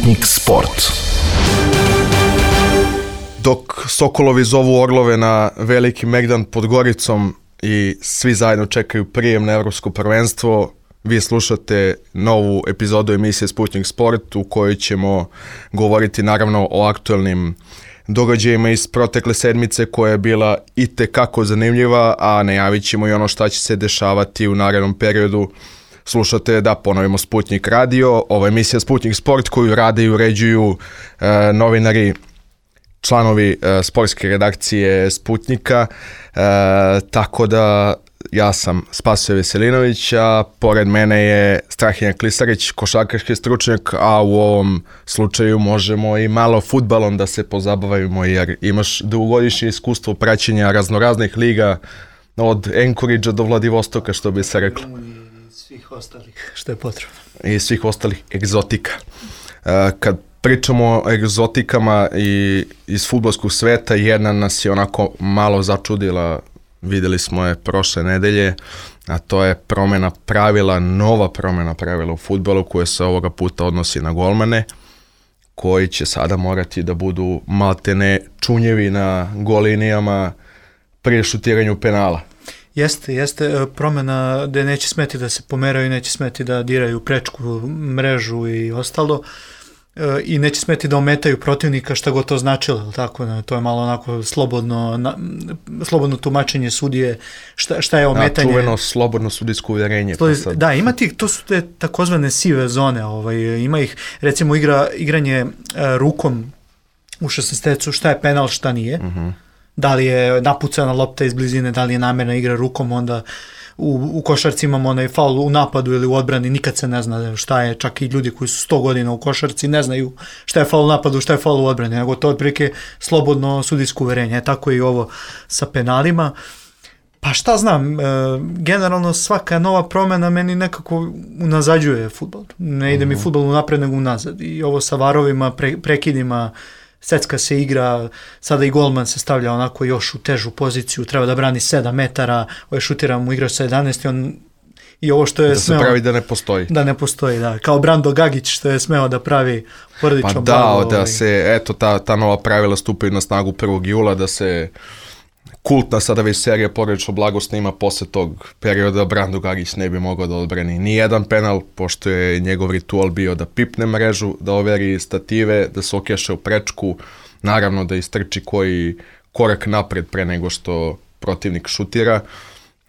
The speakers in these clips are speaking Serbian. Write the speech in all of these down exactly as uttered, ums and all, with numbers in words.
Sputnik Sport. Dok Sokolovi zovu Orlove na veliki megdan pod Goricom i svi zajedno čekaju prijem na Evropsko prvenstvo, vi slušate novu epizodu emisije Sputnik Sport u kojoj ćemo govoriti naravno o aktuelnim događajima iz protekle sedmice koja je bila itekako zanimljiva, a najavit ćemo i ono šta će se dešavati u narednom periodu. Slušate, da ponovimo, Sputnik radio, ova emisija Sputnik Sport koju rade i uređuju e, novinari, članovi e, sportske redakcije Sputnika, e, tako da ja sam Spasoje Veselinović, a pored mene je Strahinja Klisarić, košarkaški stručnjak, a u ovom slučaju možemo i malo fudbalom da se pozabavimo jer imaš dugogodišnje iskustvo praćenja raznoraznih liga od Anchoragea do Vladivostoka, što bi se reklo. I svih ostalih što je potrebno. I svih ostalih egzotika. Kad pričamo o egzotikama i iz fudbalskog sveta, jedna nas je onako malo začudila, videli smo je prošle nedelje, a to je promjena pravila, nova promjena pravila u fudbalu koja se ovoga puta odnosi na golmane, koji će sada morati da budu maltene čunjevi na golinijama prije šutiranju penala. Jeste, jeste promjena da neće smeti da se pomeraju, neće smeti da diraju prečku, mrežu i ostalo. I neće smeti da ometaju protivnika, šta god to značilo, tako, to je malo onako slobodno, na, slobodno tumačenje sudije, šta, šta je ometanje. Da, čuveno slobodno sudijsko uvjerenje. Slobodno, pa sad... Da, ima tih, to su te takozvane sive zone, ovaj, ima ih, recimo igra, igranje uh, rukom u šesnaestecu, šta je penal, šta nije, uh-huh. Da li je napucana lopta iz blizine, da li je namjerna igra rukom, onda U, u košarci imamo onaj faul u napadu ili u odbrani, nikad se ne zna šta je, čak i ljudi koji su sto godina u košarci ne znaju šta je faul u napadu, šta je faul u odbrani, nego to otprilike slobodno sudijsko uverenje, tako i ovo sa penalima. Pa šta znam, e, generalno svaka nova promjena meni nekako unazađuje fudbal, ne ide mi fudbal unapred nego unazad i ovo sa varovima, pre, prekidima, secka se igra, sada i golman se stavlja onako još u težu poziciju, treba da brani sedam metara, ovaj šutira mu igrač sa jedanaest i on i ovo što je da smeo... se pravi da ne postoji. Da ne postoji, da. Kao Brando Gagić što je smeo da pravi porodično pa blago. Pa da, da se, eto, ta, ta nova pravila stupaju na snagu prvog jula, da se kultna sada već serija porodično blago snima posle tog perioda, Brando Gagić ne bi mogao da odbrani ni jedan penal, pošto je njegov ritual bio da pipne mrežu, da overi stative, da se okeše u prečku, naravno da istrči koji korak napred pre nego što protivnik šutira.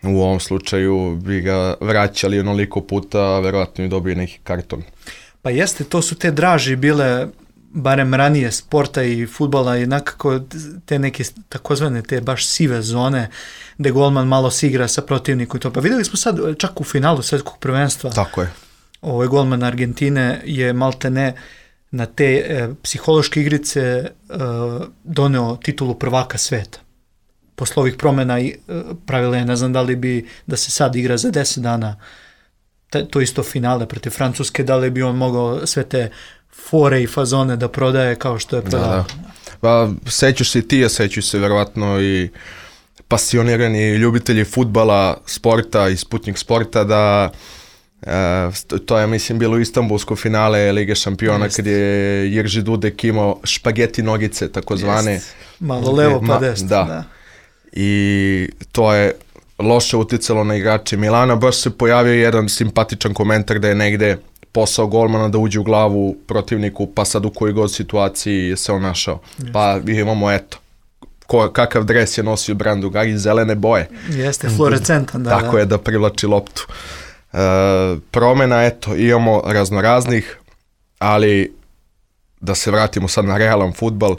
U ovom slučaju bi ga vraćali onoliko puta, a verovatno i dobije neki karton. Pa jeste, to su te draži bile barem ranije sporta i fudbala i nekako te neke takozvane te baš sive zone gde golman malo se igra sa protivnikom i to. Pa vidjeli smo sad čak u finalu svjetskog prvenstva. Tako je. Ovaj golman Argentine je maltene na te e, psihološke igrice e, doneo titulu prvaka sveta. Posle ovih promjena i e, pravila je, ne znam da li bi da se sad igra za deset dana te, to isto finale protiv Francuske, da li bi on mogao sve te fore i fazone da prodaje kao što je prodao. Da, da. Pa sećaš se i ti, a sećaš se verovatno i pasionirani ljubitelji fudbala, sporta i Sputnik Sporta da e, to je mislim bilo istanbulsko finale Lige šampiona Jest. Kad je Jerži Dudek imao špageti nogice takozvane. Jest. Malo levo pa desno. Da. da. I to je loše uticalo na igrače Milana. Baš se pojavio jedan simpatičan komentar da je negde posao golmana da uđe u glavu protivniku, pa sad u kojoj god situaciji se on našao. Jeste. Pa imamo, eto, ko, kakav dres je nosio Brando Gagić, zelene boje. Jeste, fluorescentan, da. Tako da. je, da privlači loptu. E, promjena, eto, imamo raznoraznih, ali da se vratimo sad na realan fudbal, e,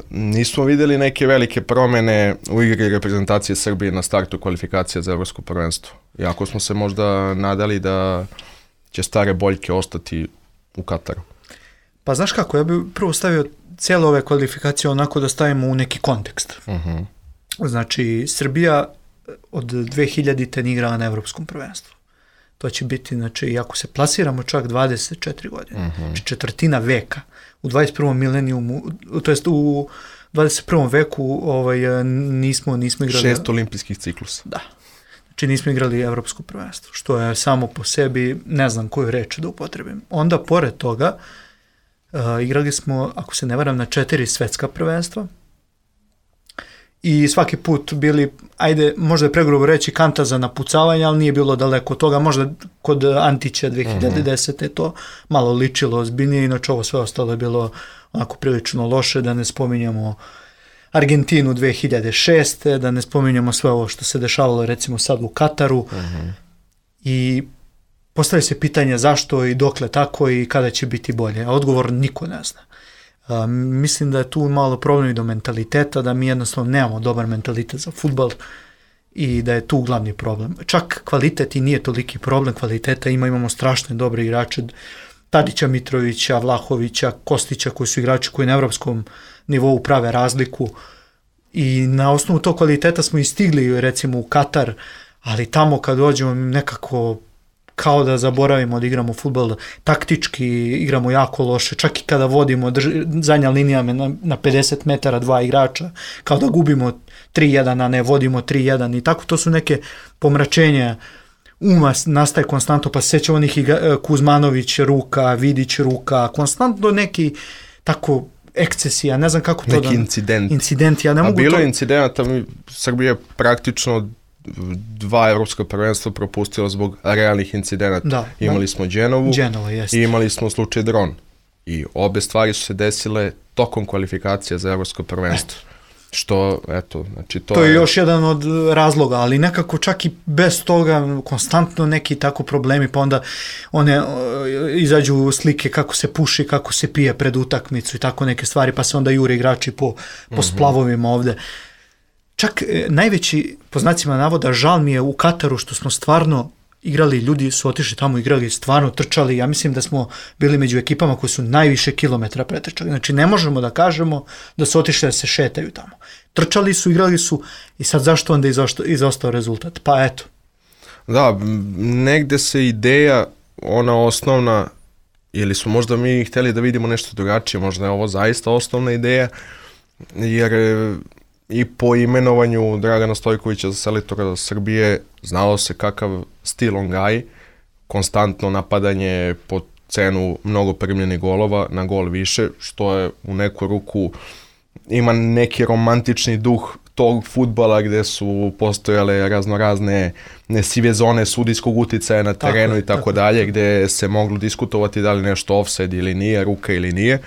nismo vidjeli neke velike promjene u igri reprezentacije Srbije na startu kvalifikacija za Evropsko prvenstvo. Iako smo se možda nadali da će stare boljke ostati u Kataru. Pa znaš kako, ja bih prvo stavio cijele ove kvalifikacije onako da stavimo u neki kontekst. Uh-huh. Znači, Srbija od dve hiljadite ne igrala na Evropskom prvenstvu. To će biti, znači, ako se plasiramo čak dvadeset četiri godine, uh-huh. znači četvrtina veka, u dvadeset prvom milenijumu, to jest u dvadeset prvom veku ovaj, nismo, nismo igrali... Šest olimpijskih ciklusa. Da. Či nismo igrali evropsko prvenstvo, što je samo po sebi, ne znam koju reč da upotrebim. Onda, pored toga, uh, igrali smo, ako se ne varam, na četiri svetska prvenstva i svaki put bili, ajde, možda je pregrubo reći kanta za napucavanje, ali nije bilo daleko od toga, možda kod Antića dve hiljade desete je to malo ličilo ozbiljnije, inače ovo sve ostalo je bilo onako prilično loše, da ne spominjamo Argentinu dve hiljade šeste, da ne spominjamo sve ovo što se dešavalo recimo sad u Kataru. Uh-huh. I postavlja se pitanje zašto i dokle tako i kada će biti bolje. A odgovor niko ne zna. A, mislim da je tu malo problem i do mentaliteta, da mi jednostavno nemamo dobar mentalitet za fudbal i da je tu glavni problem. Čak kvalitet i nije toliki problem kvaliteta, ima, imamo strašne dobre igrače, Tadića, Mitrovića, Vlahovića, Kostića, koji su igrači koji na evropskom nivou prave razliku i na osnovu tog kvaliteta smo i stigli recimo u Katar, ali tamo kad dođemo nekako kao da zaboravimo da igramo fudbal, taktički igramo jako loše, čak i kada vodimo drž, zadnja linija na, na pedeset metara dva igrača, kao da gubimo tri jedan, a ne vodimo tri jedan i tako, to su neke pomračenja uma nastaje konstantno, pa se sjećamo onih Kuzmanović ruka, Vidić ruka, konstantno neki tako ekscesija, ne znam kako to neki da... incident. Incident, ja ne A mogu bilo to... je incidenta, Srbija je praktično dva evropska prvenstva propustila zbog realnih incidenata. Da, imali da. smo Genovu Genova, i imali smo slučaj dron. I obe stvari su se desile tokom kvalifikacija za evropsko prvenstvo. Eto. Što, eto, znači to, to je... je još jedan od razloga, ali nekako čak i bez toga konstantno neki tako problemi, pa onda one izađu slike kako se puši, kako se pije pred utakmicu i tako neke stvari, pa se onda jure igrači po, po mm-hmm. splavovima ovde. Čak najveći, po znacima navoda, žal mi je u Kataru što smo stvarno igrali, ljudi su otišli tamo, igrali, stvarno trčali, ja mislim da smo bili među ekipama koji su najviše kilometra pretrčali, znači ne možemo da kažemo da su otišli da se šetaju tamo. Trčali su, igrali su i sad zašto onda izostao, izostao rezultat? Pa eto. Da, negde se ideja, ona osnovna, ili su možda mi htjeli da vidimo nešto drugačije, možda je ovo zaista osnovna ideja, jer i po imenovanju Dragana Stojkovića za selektora Srbije znalo se kakav stil on gaji, konstantno napadanje po cenu mnogo primljenih golova, na gol više, što je u neku ruku ima neki romantični duh tog fudbala gdje su postojale raznorazne sive zone sudijskog uticaja na terenu tako, i tako, tako dalje, gdje se moglo diskutovati da li nešto offside ili nije, ruka ili nije.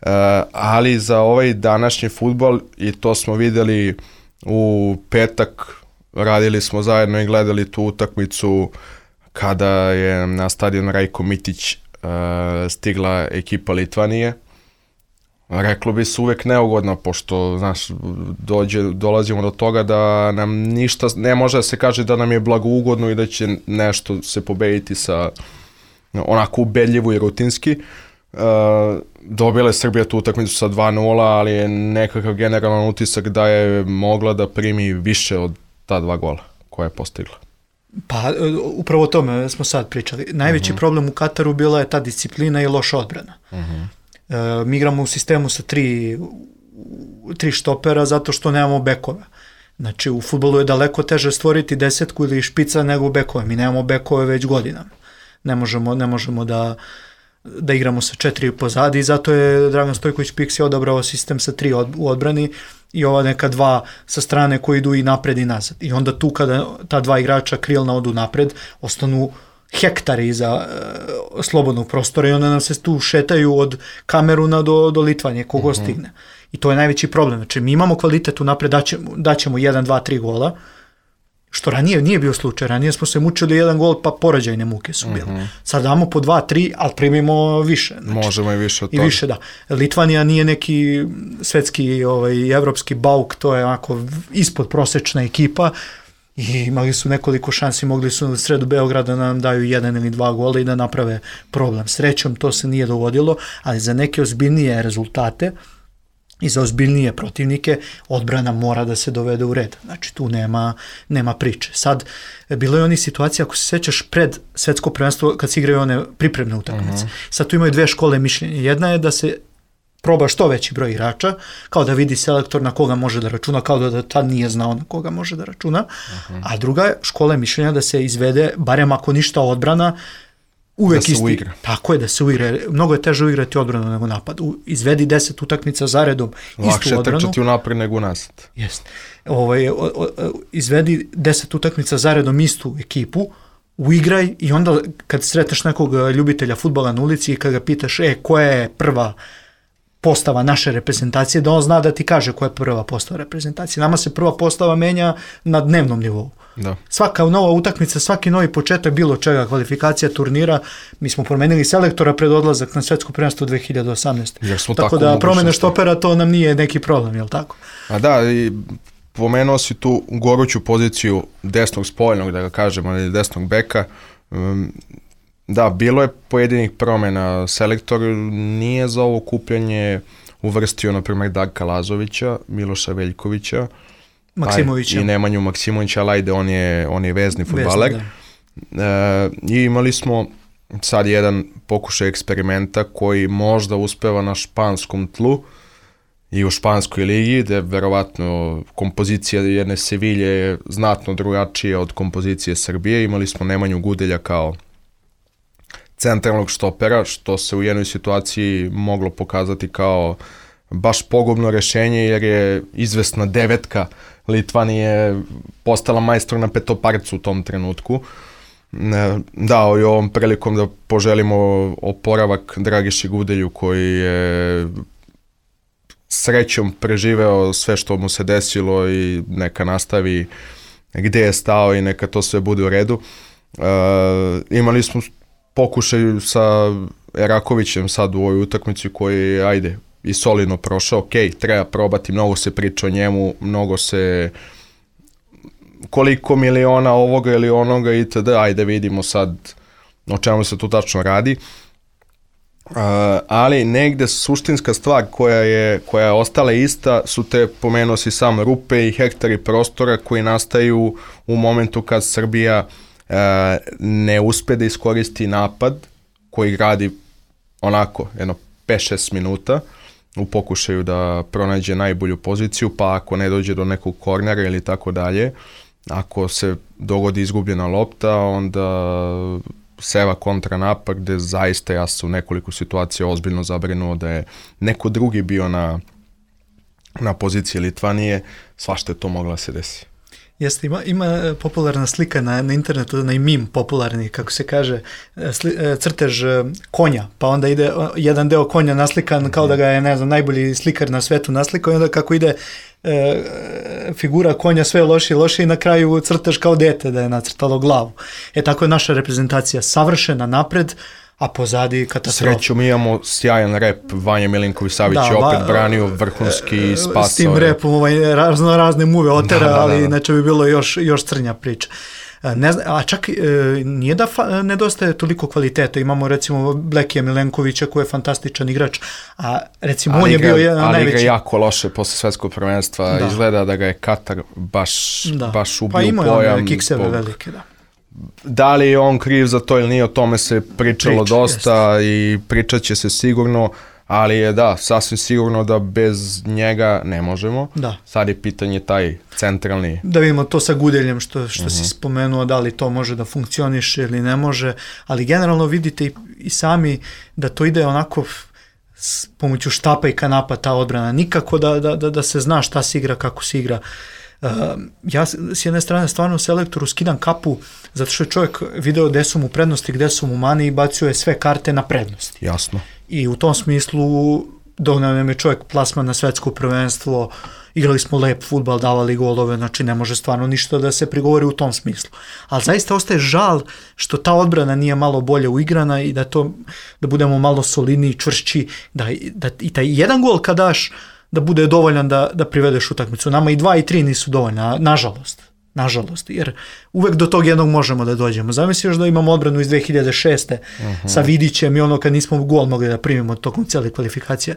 Uh, ali za ovaj današnji fudbal, i to smo vidjeli u petak, radili smo zajedno i gledali tu utakmicu kada je na stadion Rajko Mitić uh, stigla ekipa Litvanije. Reklo bi se uvek neugodno, pošto znaš, dođe, dolazimo do toga da nam ništa, ne može da se kaže da nam je blagougodno i da će nešto se pobediti sa onako ubedljivo i rutinski. Uh, dobila je Srbija tu utakmicu sa dva nula, ali je nekakav generalan utisak da je mogla da primi više od ta dva gola koja je postigla. Pa upravo o tome smo sad pričali. Najveći uh-huh. problem u Kataru bila je ta disciplina i loša odbrana. Uh-huh. Uh, mi igramo u sistemu sa tri, tri štopera zato što nemamo bekova. Znači u fudbalu je daleko teže stvoriti desetku ili špica nego bekove. Mi nemamo bekove već godinama. Ne možemo, ne možemo da da igramo sa četiri pozadi i zato je Dragan Stojković Piksi odabrao sistem sa tri od, u odbrani i ova neka dva sa strane koji idu i napred i nazad. I onda tu kada ta dva igrača krilna odu napred, ostanu hektari iza e, slobodnog prostora i onda nam se tu šetaju od Kameruna do, do Litvanje, kogo mm-hmm. stigne. I to je najveći problem. Znači mi imamo kvalitet u napred, daćemo, daćemo jedan, dva, tri gola, što ranije nije bio slučaj, ranije smo se mučili jedan gol, pa porađajne muke su bile. Mm-hmm. Sad damo po dva, tri, ali primimo više. Znači, možemo i više od toga. I više, da. Litvanija nije neki svetski, ovaj, evropski bauk, to je onako ispod prosečna ekipa i imali su nekoliko šansi, mogli su na sredu Beograda nam daju jedan ili dva gola i da naprave problem. Srećom to se nije dogodilo, ali za neke ozbiljnije rezultate i za ozbiljnije protivnike odbrana mora da se dovede u red. Znači tu nema, nema priče. Sad, bilo je oni situacija, ako se sećaš, pred svetsko prvenstvo kad se igraju one pripremne utakmice. Uh-huh. Sad tu imaju dve škole mišljenja. Jedna je da se proba što veći broj igrača, kao da vidi selektor na koga može da računa, kao da, da tad nije znao na koga može da računa. Uh-huh. A druga škola je mišljenja da se izvede, barem ako ništa odbrana, uvek da se isti. Uigra. Tako je, da se uigra. Mnogo je teže uigrati odbranu nego napad. U, izvedi deset utakmica zaredom istu Lakše odbranu. Lakše trčati unapred nego unazad. Jest. Ovaj, o, o, izvedi deset utakmica zaredom istu ekipu, uigraj i onda kad sretneš nekog ljubitelja fudbala na ulici i kad ga pitaš, e, koja je prva postava naše reprezentacije, da on zna da ti kaže koja je prva postava reprezentacije. Nama se prva postava menja na dnevnom nivou. Da. Svaka nova utakmica, svaki novi početak bilo čega, kvalifikacija turnira, mi smo promenili selektora pred odlazak na svetsko prvenstvo dve hiljade osamnaeste. Tako, tako da promene štopera to nam nije neki problem, je li tako? A da, i pomenuo si tu goruću poziciju desnog spoljnog, da ga kažemo, ili desnog beka. Um, Da, bilo je pojedinih promjena. Selektor nije za ovo kupljanje uvrstio, na primjer, Darka Lazovića, Miloša Veljkovića, Maksimovića. I Nemanju Maksimovića, ali ajde, on je, on je vezni fudbaler. E, I imali smo sad jedan pokušaj eksperimenta koji možda uspeva na španskom tlu i u španskoj ligi, gde verovatno kompozicija jedne Sevilje je znatno drugačija od kompozicije Srbije. Imali smo Nemanju Gudelja kao centralnog štopera, što se u jednoj situaciji moglo pokazati kao baš pogubno rešenje, jer je izvesna devetka Litvanije postala majstor na petoparcu u tom trenutku. Dao i ovom prilikom da poželimo oporavak Dragiši Gudelju, koji je srećom preživeo sve što mu se desilo i neka nastavi gde je stao i neka to sve bude u redu. Uh, imali smo pokušaj sa Erakovićem sad u ovoj utakmici koji je, ajde, i solidno prošao. Ok, treba probati, mnogo se priča o njemu, mnogo se koliko miliona ovoga ili onoga itd. Ajde, vidimo sad o čemu se tu tačno radi. Uh, ali negde suštinska stvar koja je, koja je ostala ista su te, pomenuo si sam, rupe i hektari prostora koji nastaju u momentu kad Srbija uh, ne uspe da iskoristi napad koji gradi onako jedno pet šest minuta u pokušaju da pronađe najbolju poziciju, pa ako ne dođe do nekog kornera ili tako dalje, ako se dogodi izgubljena lopta, onda seva kontranapad, gde zaista ja sam u nekoliko situacija ozbiljno zabrinuo da je neko drugi bio na, na poziciji Litvanije, svašta je to mogla se desi. Jeste, ima, ima popularna slika na, na internetu, onaj mim popularni, kako se kaže, sli, crtež konja, pa onda ide jedan deo konja naslikan kao da ga je, ne znam, najbolji slikar na svetu naslikao i onda kako ide e, figura konja sve loše i loše i na kraju crtež kao dete da je nacrtalo glavu. E tako je naša reprezentacija savršena napred, a pozadi katastrofa. Srećom imamo sjajan rep, Vanja Milinković-Savić je opet branio vrhunski spasao. S tim repom ovaj, razno razne muve otera, da, da, da, da. Ali inače bi bilo još, još crnja priča. Ne zna, a čak e, nije da fa, nedostaje toliko kvaliteta. Imamo recimo Blekija Milenkovića koji je fantastičan igrač, a recimo ali on je igra, bio jedan ali najveći. Ali igra jako loše posle svetskog prvenstva. Da. Izgleda da ga je Katar baš, da. baš ubio pojam. Pa imao je kikseve velike, da. Da li je on kriv za to ili nije, o tome se pričalo Priča, dosta jest. I pričat će se sigurno, ali je da, sasvim sigurno da bez njega ne možemo. Da. Sad je pitanje taj centralni. Da vidimo to sa Gudeljem što, što uh-huh. si spomenuo, da li to može da funkcioniše ili ne može, ali generalno vidite i, i sami da to ide onako s pomoću štapa i kanapa ta odbrana, nikako da, da, da, da se zna šta se igra, kako se igra. Uh, ja s jedne strane stvarno selektoru skidam kapu zato što je čovjek video gde su mu prednosti, gde su mu mani i bacio je sve karte na prednosti. Jasno. I u tom smislu doneo nam je čovjek plasman na svetsko prvenstvo, igrali smo lep fudbal, davali golove, znači ne može stvarno ništa da se prigovori u tom smislu. Ali zaista ostaje žal što ta odbrana nije malo bolje uigrana i da to da budemo malo solidniji, čvršći, da, da i taj jedan gol kad daš da bude dovoljan da, da privedeš utakmicu. Nama i dva i tri nisu dovoljna, nažalost. Nažalost, jer uvek do tog jednog možemo da dođemo. Zamisli još da imamo odbranu iz dve hiljade šeste uh-huh. sa Vidićem i ono kad nismo gol mogli da primimo tokom cijele kvalifikacije.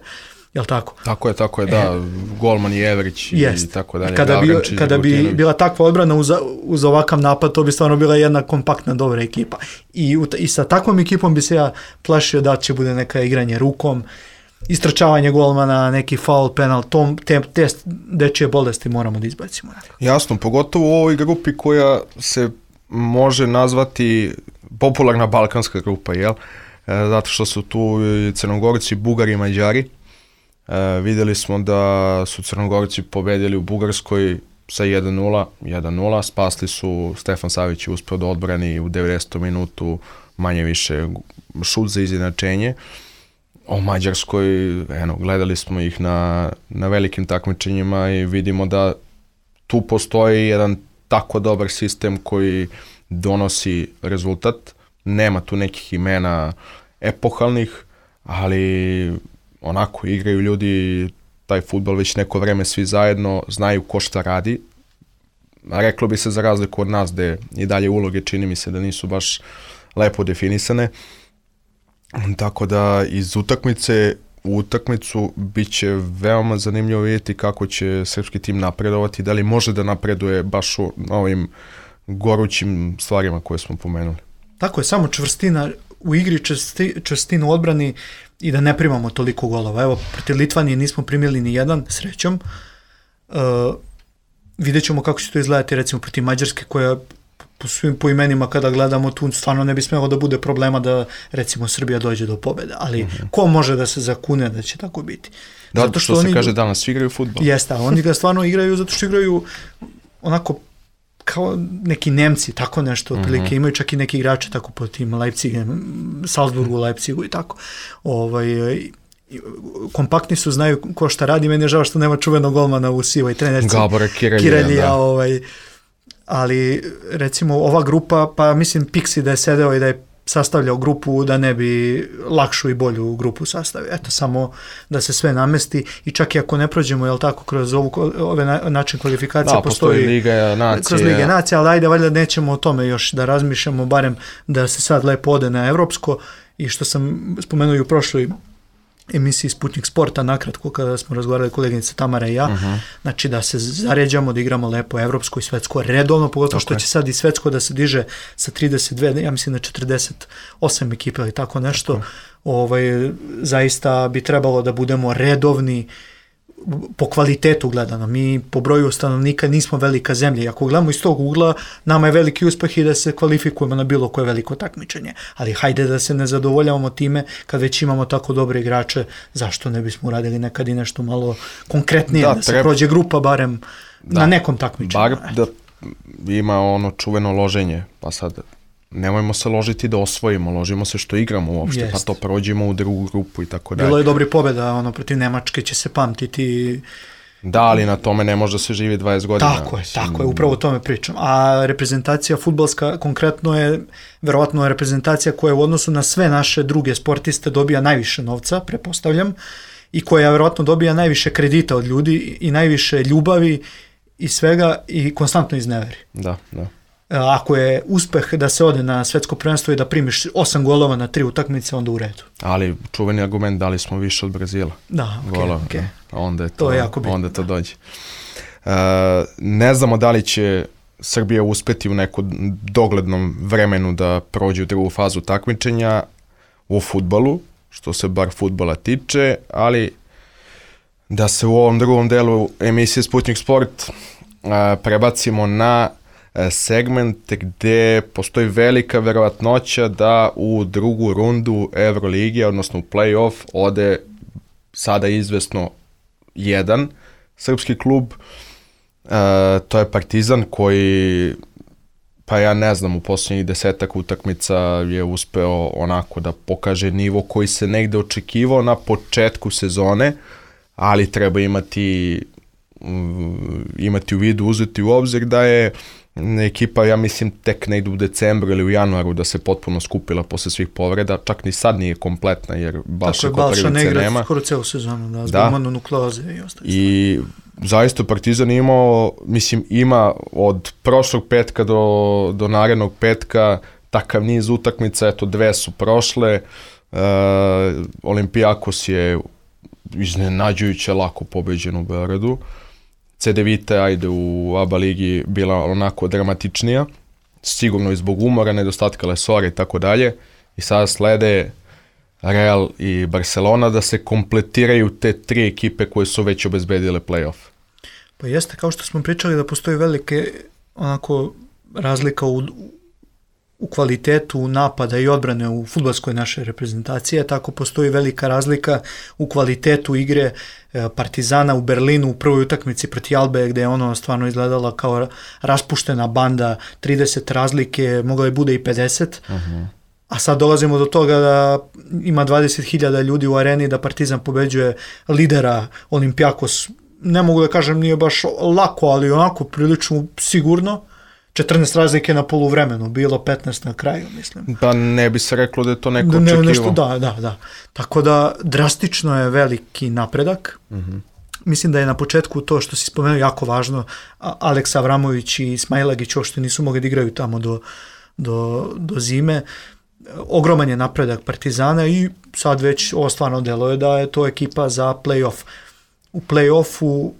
Jel tako? Tako je, tako je, da. E, Golman i Evrić i, i tako dalje. Kada, bi, kada bi bila takva odbrana uz, uz ovakav napad, to bi stvarno bila jedna kompaktna, dobra ekipa. I, i sa takvom ekipom bi se ja plašio da će bude neka igranje rukom. istračavanje golmana, neki faul, penal, tom, te, te dečije bolesti moramo da izbacimo. Jasno, pogotovo u ovoj grupi koja se može nazvati popularna balkanska grupa, jel? E, zato što su tu i Crnogorci, Bugari i Mađari. E, vidjeli smo da su Crnogorci pobedili u Bugarskoj sa jedan nula, jedan nula, spasli su, Stefan Savić je uspio da odbrani u devedesetom minutu manje više šut za izjednačenje. O Mađarskoj, eno, gledali smo ih na, na velikim takmičenjima i vidimo da tu postoji jedan tako dobar sistem koji donosi rezultat. Nema tu nekih imena epohalnih, ali onako igraju ljudi taj fudbal već neko vreme svi zajedno, znaju ko šta radi. Reklo bi se za razliku od nas gde i dalje uloge čini mi se da nisu baš lepo definisane. Tako da iz utakmice u utakmicu bit će veoma zanimljivo vidjeti kako će srpski tim napredovati, da li može da napreduje baš u ovim gorućim stvarima koje smo pomenuli. Tako je, samo čvrstina u igri, čvrsti, čvrstina u odbrani i da ne primamo toliko golova. Evo, protiv Litvanije nismo primili ni jedan, srećom. Uh, vidjet ćemo kako će to izgledati, recimo, protiv Mađarske, koja po svim poimenima kada gledamo tu, stvarno ne bi smelo da bude problema da, recimo, Srbija dođe do pobjede. Ali uh-huh. ko može da se zakune da će tako biti? Da, zato što, što se oni, kaže danas, svi igraju fudbal. Jeste, a oni ga stvarno igraju zato što igraju onako kao neki Nemci, tako nešto, otprilike, mm-hmm. imaju čak i neki igrače tako po tim Leipzigem, Salzburgu, Leipzigu i tako. Ovaj, kompaktni su, znaju ko šta radi, meni je žao što nema čuvenog golmana u sivoj trenerci. Gabora Kirelija, Kirelija, ovaj, ali recimo ova grupa, pa mislim Pixi da je sedeo i da je sastavljao grupu da ne bi lakšu i bolju grupu sastavio. Eto, samo da se sve namesti i čak i ako ne prođemo, jel tako, kroz ovu, ove na, način kvalifikacija da, postoji, postoji Liga Nacije. Kroz Liga Nacije, ali ajde, valjda nećemo o tome još da razmišljamo, barem da se sad lepo ode na evropsko i što sam spomenuo i u prošloj emisiji Sputnik Sporta, nakratko kada smo razgovarali koleginica Tamara i ja, uh-huh. znači da se zaređamo, da igramo lepo evropsko i svetsko redovno, pogotovo što će sad i svetsko da se diže sa trideset dve, ja mislim na četrdeset osam ekipa ili tako nešto, tako. Ovaj, zaista bi trebalo da budemo redovni po kvalitetu gledano. Mi po broju stanovnika nismo velika zemlja i ako gledamo iz tog ugla, nama je veliki uspeh i da se kvalifikujemo na bilo koje veliko takmičenje. Ali hajde da se ne zadovoljavamo time kad već imamo tako dobre igrače, zašto ne bismo uradili nekad i nešto malo konkretnije, da, da se treba, prođe grupa barem da, na nekom takmičenju. Bar da ima ono čuveno loženje, pa sad nemojmo se ložiti da osvojimo, ložimo se što igramo uopšte, Jest. pa to prođemo u drugu grupu i tako dalje. Bilo je dobri pobjeda, ono, protiv Nemačke će se pamtiti. Da, ali na tome ne može da se živi dvadeset godina. Tako je, tako je, upravo o tome pričam. A reprezentacija fudbalska konkretno je, verovatno je reprezentacija koja u odnosu na sve naše druge sportiste dobija najviše novca, prepostavljam, i koja verovatno dobija najviše kredita od ljudi i najviše ljubavi i svega i konstantno izneveri. Da, da. Ako je uspeh da se ode na svetsko prvenstvo i da primiš osam golova na tri utakmice, onda u redu. Ali čuveni argument, dali smo više od Brazila. Da, ok, golova, ok. Da. Onda je to, to je jako bitno. Onda to dođe. Uh, ne znamo da li će Srbija uspeti u nekom doglednom vremenu da prođe u drugu fazu takmičenja u fudbalu, što se bar fudbala tiče, ali da se u ovom drugom delu emisije Sputnik Sport uh, prebacimo na segment gde postoji velika verovatnoća da u drugu rundu Evrolige, odnosno u play-off, ode sada izvesno jedan srpski klub. E, to je Partizan koji, pa ja ne znam, u posljednjih desetak utakmica je uspeo onako da pokaže nivo koji se negde očekivao na početku sezone, ali treba imati, imati u vidu, uzeti u obzir da je ekipa, ja mislim, tek ne ide u decembru ili u januaru da se potpuno skupila posle svih povreda, čak ni sad nije kompletna jer Balša Koprivice nema. Tako je, Balša ne skoro celu sezonu, da, zbog mononukleoze i ostalo. I zaista Partizan imao, mislim, ima od prošlog petka do, do narednog petka takav niz utakmica, eto dve su prošle, uh, Olimpijakos je iznenađujuće lako pobeđen u Beogradu, C D Vita, ajde, u A B A ligi bila onako dramatičnija, sigurno i zbog umora, nedostatka lesora i tako dalje. I sada slede Real i Barcelona, da se kompletiraju te tri ekipe koje su već obezbedile play-off. Pa jeste, kao što smo pričali da postoji velike onako razlika u, u kvalitetu napada i odbrane u fudbalskoj naše reprezentacije, tako postoji velika razlika u kvalitetu igre Partizana u Berlinu u prvoj utakmici protiv Albe, gde je ono stvarno izgledala kao raspuštena banda, trideset razlike, mogla je bude i pedeset, uh-huh. A sad dolazimo do toga da ima dvadeset hiljada ljudi u areni, da Partizan pobeđuje lidera Olympiakos, ne mogu da kažem nije baš lako, ali onako prilično sigurno, četrnaest razlike na poluvremenu, bilo petnaest na kraju, mislim. Pa ne bi se reklo da je to neko ne, očekivo. Nešto, da, da, da. Tako da drastično je veliki napredak. Uh-huh. Mislim da je na početku to što si spomenuo jako važno, Aleks Avramović i Smailagić što nisu mogli da igraju tamo do, do, do zime. Ogroman je napredak Partizana i sad već ovo stvarno deluje da je to ekipa za play-off. U play-offu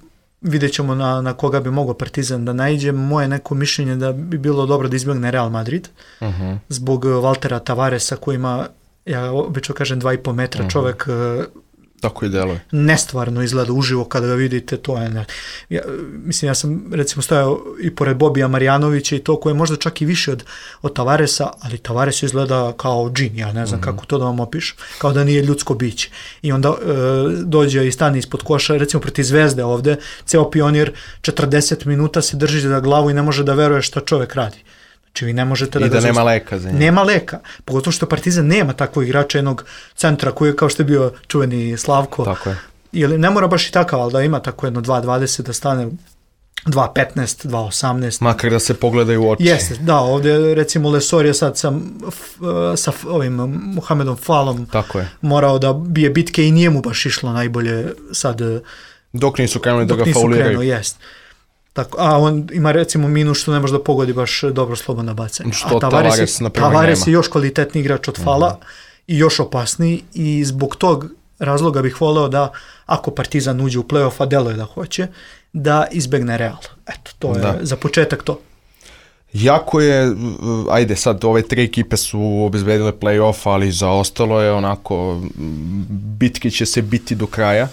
vidjet ćemo na, na koga bi mogao Partizan da naiđe. Moje neko mišljenje da bi bilo dobro da izbjegne Real Madrid, uh-huh. zbog Valtera Tavaresa koji ima, ja obično kažem, dva i po metra, uh-huh. čovek tako i deluje. Nestvarno izgleda uživo kada ga vidite, to je ne. Ja, mislim, ja sam recimo stojao i pored Bobija Marjanovića i to koje je možda čak i više od, od Tavaresa, ali Tavares izgleda kao džin, ja ne znam mm-hmm. kako to da vam opišem, kao da nije ljudsko biće. I onda e, dođe i stane ispod koša, recimo protiv Zvezde ovde, ceo Pionir četrdeset minuta se drži za glavu i ne može da veruje šta čovek radi. Znači vi ne možete da I ga da nema leka za njega. Nema leka, pogotovo što Partizan nema takvog igrača, jednog centra koji je kao što je bio čuveni Slavko. Tako je. Ili ne mora baš i takav, ali da ima tako jedno dva dvadeset da stane dva petnaest, dva osamnaest. Makar da se pogledaju u oči. Jeste, da, ovdje recimo Lesor je sad sa, sa ovim Mohamedom Falom tako je. Morao da bije bitke i nije mu baš išlo najbolje sad. Dok nisu krenuli da ga nisu fauliraju. Krenuo, jest. Tako, a on ima recimo minus što ne može da pogodi baš dobro slobodno bacanje. Što a Tavares, Tavares, na primjer, Tavares je još kvalitetni igrač od Fala uh-huh. i još opasniji i zbog tog razloga bih voleo da ako Partizan uđe u play-off, a deluje da hoće, da izbegne Real. Eto, to je da. Za početak to. Jako je, ajde sad, ove tri ekipe su obezbedile play-off, ali za ostalo je onako, bitke će se biti do kraja.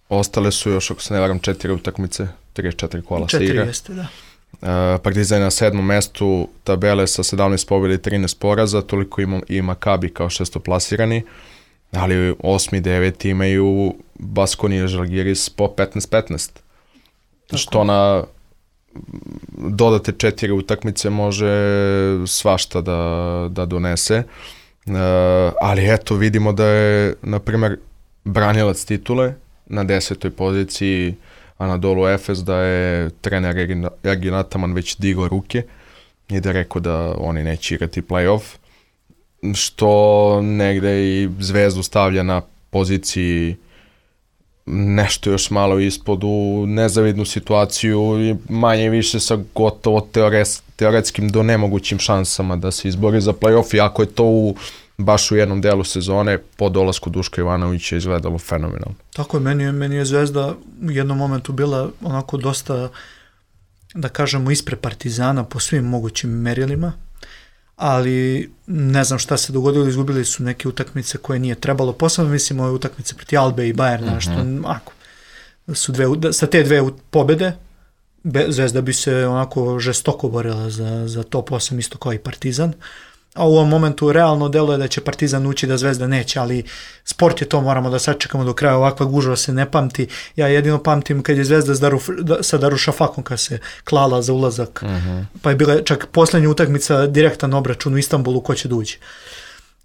Ostale su još, ako se ne varam, četiri utakmice, tri četiri kola se igra. Četiri jeste, da. Uh, Partizan je na sedmom mestu tabele sa sedamnaest pobjeda i trinaest poraza, toliko ima i Makabi kao šestoplasirani, ali osmi, deveti imaju Baskonija i Žalgiris po petnaest petnaest. Što na dodate četiri utakmice može svašta da, da donese. Uh, ali eto, vidimo da je, na primjer, branilac titule na desetoj poziciji Anadolu Efes, da je trener Ergin Ataman već digao ruke i da je rekao da oni neće igrati play-off, što negde i Zvezdu stavlja na poziciji nešto još malo ispod u nezavidnu situaciju i manje više sa gotovo teores, teoretskim do nemogućim šansama da se izbori za play-off, iako je to u baš u jednom delu sezone po dolasku Duška Ivanovića izgledalo fenomenalno. Tako je, meni je, meni je Zvezda u jednom momentu bila onako dosta, da kažemo, ispred Partizana po svim mogućim merilima, ali ne znam šta se dogodilo, izgubili su neke utakmice koje nije trebalo, posebno mislim ove utakmice proti Albe i Bayerna, mm-hmm. što ako, su dve, sa te dve pobede Zvezda bi se onako žestoko borila za, za top osam isto kao i Partizan. A u ovom momentu realno deluje da će Partizan ući, da Zvezda neće, ali sport je to, moramo da sačekamo do kraja, ovakva gužva se ne pamti. Ja jedino pamtim kad je Zvezda s Daru, sa Darušafakom kad se klala za ulazak, uh-huh. pa je bila čak posljednja utakmica direktan obračun u Istanbulu ko će da uđe.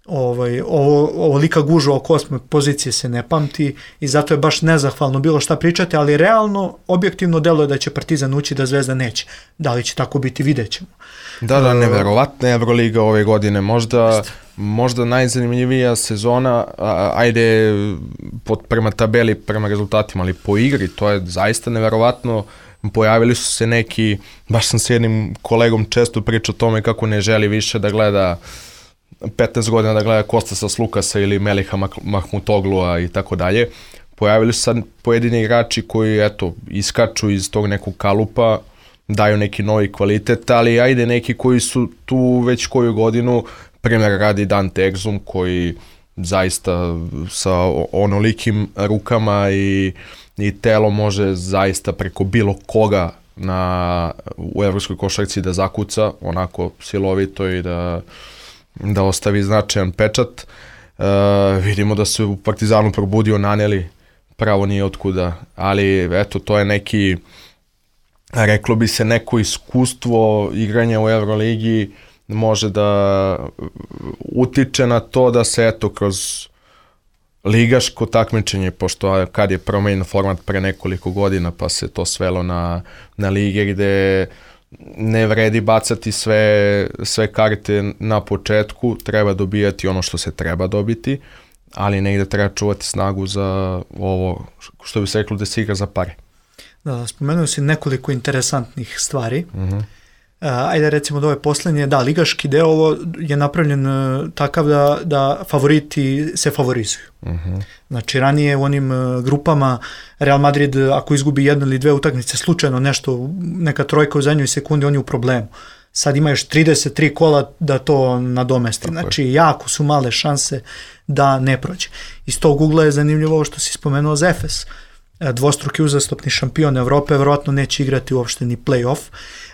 Ovaj, ovo, ovo lika gužva oko osme pozicije se ne pamti i zato je baš nezahvalno bilo šta pričati, ali realno, objektivno deluje da će Partizan ući, da Zvezda neće. Da li će tako biti, vidjet ćemo. Da, da, neverovatna Evroliga ove godine, možda, možda najzanimljivija sezona, a, ajde pod, prema tabeli, prema rezultatima, ali po igri, to je zaista neverovatno. Pojavili su se neki, baš sam s jednim kolegom često pričao o tome kako ne želi više da gleda petnaest godina da gleda Kostasa Slukasa ili Meliha Mahmutoglua i tako dalje. Pojavili su sad pojedini igrači koji, eto, iskaču iz tog nekog kalupa, daju neki novi kvalitet, ali ajde neki koji su tu već koju godinu, primjer radi Dante Exum koji zaista sa onolikim rukama i, i telo može zaista preko bilo koga na, u evropskoj košarci da zakuca onako silovito i da, da ostavi značajan pečat. Uh, vidimo da se u Partizanu probudio Naneli, pravo nije otkuda, ali eto, to je neki, reklo bi se, neko iskustvo igranja u Euroligi može da utiče na to da se eto kroz ligaško takmičenje, pošto kad je promenjen format pre nekoliko godina pa se to svelo na, na lige gde ne vredi bacati sve, sve karte na početku, treba dobijati ono što se treba dobiti, ali negde treba čuvati snagu za ovo, što bi se reklo, da se igra za pare. Da, spomenuo si nekoliko interesantnih stvari. Uh-huh. Uh, ajde recimo od ove posljednje, da, ligaški deo ovo je napravljen uh, takav da, da favoriti se favorizuju. Uh-huh. Znači ranije u onim uh, grupama Real Madrid ako izgubi jednu ili dve utakmice slučajno nešto, neka trojka u zadnjoj sekundi, on je u problemu. Sad ima još trideset tri kola da to nadomesti. Tako znači je. Jako su male šanse da ne prođe. Iz tog ugla je zanimljivo ovo što si spomenuo za Efes. Dvostruki uzastopni šampion Evrope, verovatno neće igrati uopšte ni play-off.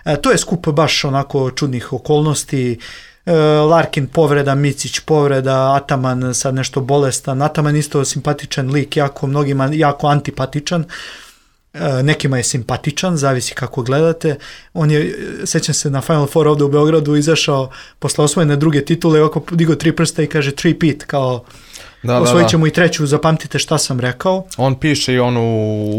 E, to je skup baš onako čudnih okolnosti. E, Larkin povreda, Micić povreda, Ataman sad nešto bolestan. Ataman isto simpatičan lik, jako mnogima jako antipatičan. E, nekima je simpatičan, zavisi kako gledate. On je, sećam se, na Final Four ovde u Beogradu izašao posle osvojene druge titule i ovako digao tri prsta i kaže three peat, kao da, osvojit ćemo da, da. i treću, zapamtite šta sam rekao. On piše i onu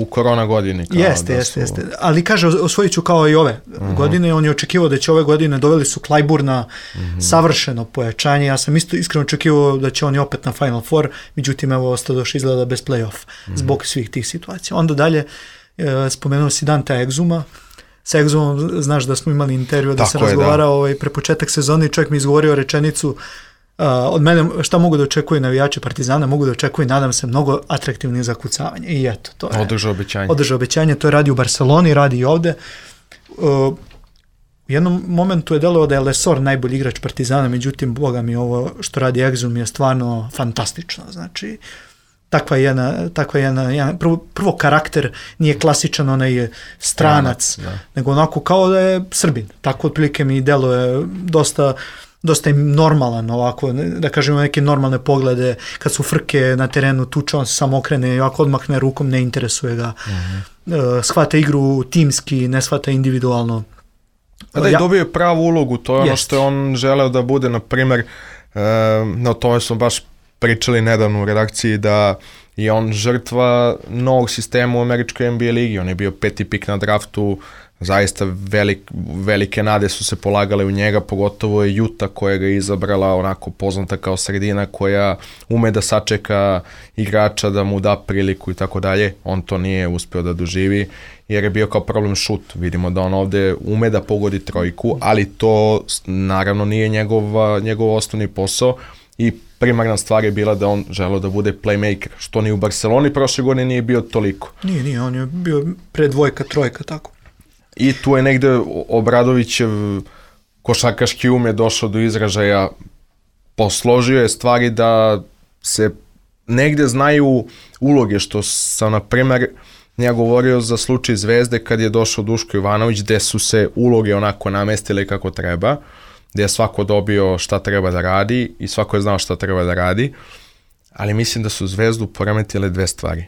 u korona godini. Kao jeste, da jeste, su... jeste. Ali kaže, osvojit ću kao i ove uh-huh. godine. On je očekivao da će ove godine, doveli su Klajburna, uh-huh. savršeno pojačanje. Ja sam isto iskreno očekivao da će oni opet na Final Four, međutim, evo, ostadoš izgleda bez play-off uh-huh. zbog svih tih situacija. Onda dalje, e, spomenuo si Dante Exuma. Sa Exumom, znaš da smo imali intervju, da se razgovarao ovaj, pre početak sezone i čovjek mi izgovorio rečenicu: Uh, od mene šta mogu da očekuju navijači Partizana, mogu da očekuju, nadam se, mnogo atraktivnih zakucavanja. I eto, to je održao obećanje. Održao obećanje, to je radi u Barceloni, radi i ovde. Uh, u jednom momentu je delovao da je Lesor najbolji igrač Partizana, međutim, boga mi, ovo što radi Exum je stvarno fantastično. Znači, takva jedna, takva jedna, jedna prvo, prvo karakter nije klasičan onaj stranac, da. nego onako kao da je Srbin. Tako otprilike mi deluje dosta dosta im normalan ovako, da kažemo neke normalne poglede, kad su frke na terenu, tuče, on se samo okrene i ovako odmahne rukom, ne interesuje ga. Uh-huh. Shvata igru timski, ne shvata individualno. A da je ja... dobio pravu ulogu, to je ono Jest. što je on želeo da bude, na primjer, uh, no tome smo baš pričali nedavno u redakciji, da je on žrtva novog sistema u američkoj N B A ligi, on je bio peti pik na draftu, zaista velik, velike nade su se polagale u njega, pogotovo je Utah koja ga je izabrala, onako poznata kao sredina koja ume da sačeka igrača, da mu da priliku i tako dalje. On to nije uspeo da doživi jer je bio kao problem šut. Vidimo da on ovde ume da pogodi trojku, ali to naravno nije njegov, njegov osnovni posao i primarna stvar je bila da on želeo da bude playmaker, što ni u Barceloni prošle godine nije bio toliko. Nije, nije, on je bio pre dvojka, trojka, tako. I tu je negde Obradovićev košarkaški um je došao do izražaja, posložio je stvari da se negde znaju uloge, što sam, na primer, ja govorio za slučaj Zvezde kad je došao Duško Ivanović, gde su se uloge onako namestile kako treba, gde je svako dobio šta treba da radi i svako je znao šta treba da radi, ali mislim da su Zvezdu poremetile dve stvari.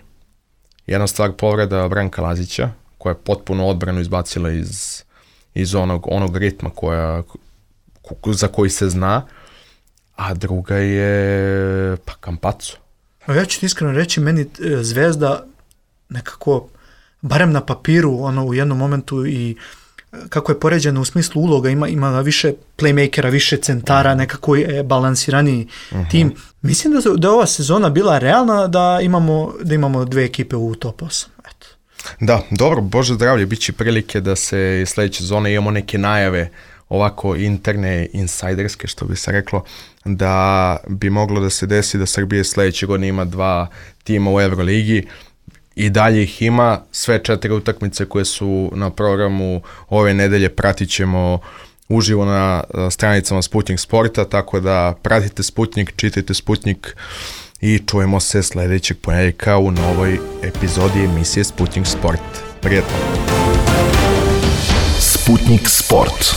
Jedna stvar povreda Branka Lazića, koja je potpuno odbranu izbacila iz, iz onog, onog ritma koja, za koji se zna, a druga je pa Campazzo. Ja ću ti iskreno reći, meni Zvezda nekako, barem na papiru, ono u jednom momentu i kako je poređeno u smislu uloga, ima, ima više playmakera, više centara, nekako je balansiraniji uh-huh. tim. Mislim da, da je ova sezona bila realna da imamo, da imamo dve ekipe u top osam. Eto. Da, dobro, Bože zdravlje, bit će prilike da se sledeće sezone imamo neke najave ovako interne, insajderske, što bi se reklo, da bi moglo da se desi da Srbije sledeće godine ima dva tima u Euroligi. I dalje ih ima, sve četiri utakmice koje su na programu ove nedelje pratit ćemo uživo na stranicama Sputnik Sporta, tako da pratite Sputnik, čitajte Sputnik i čujemo se sljedećeg ponedjeljka u novoj epizodi emisije Sputnik Sport. Prijetno! Sputnik Sport.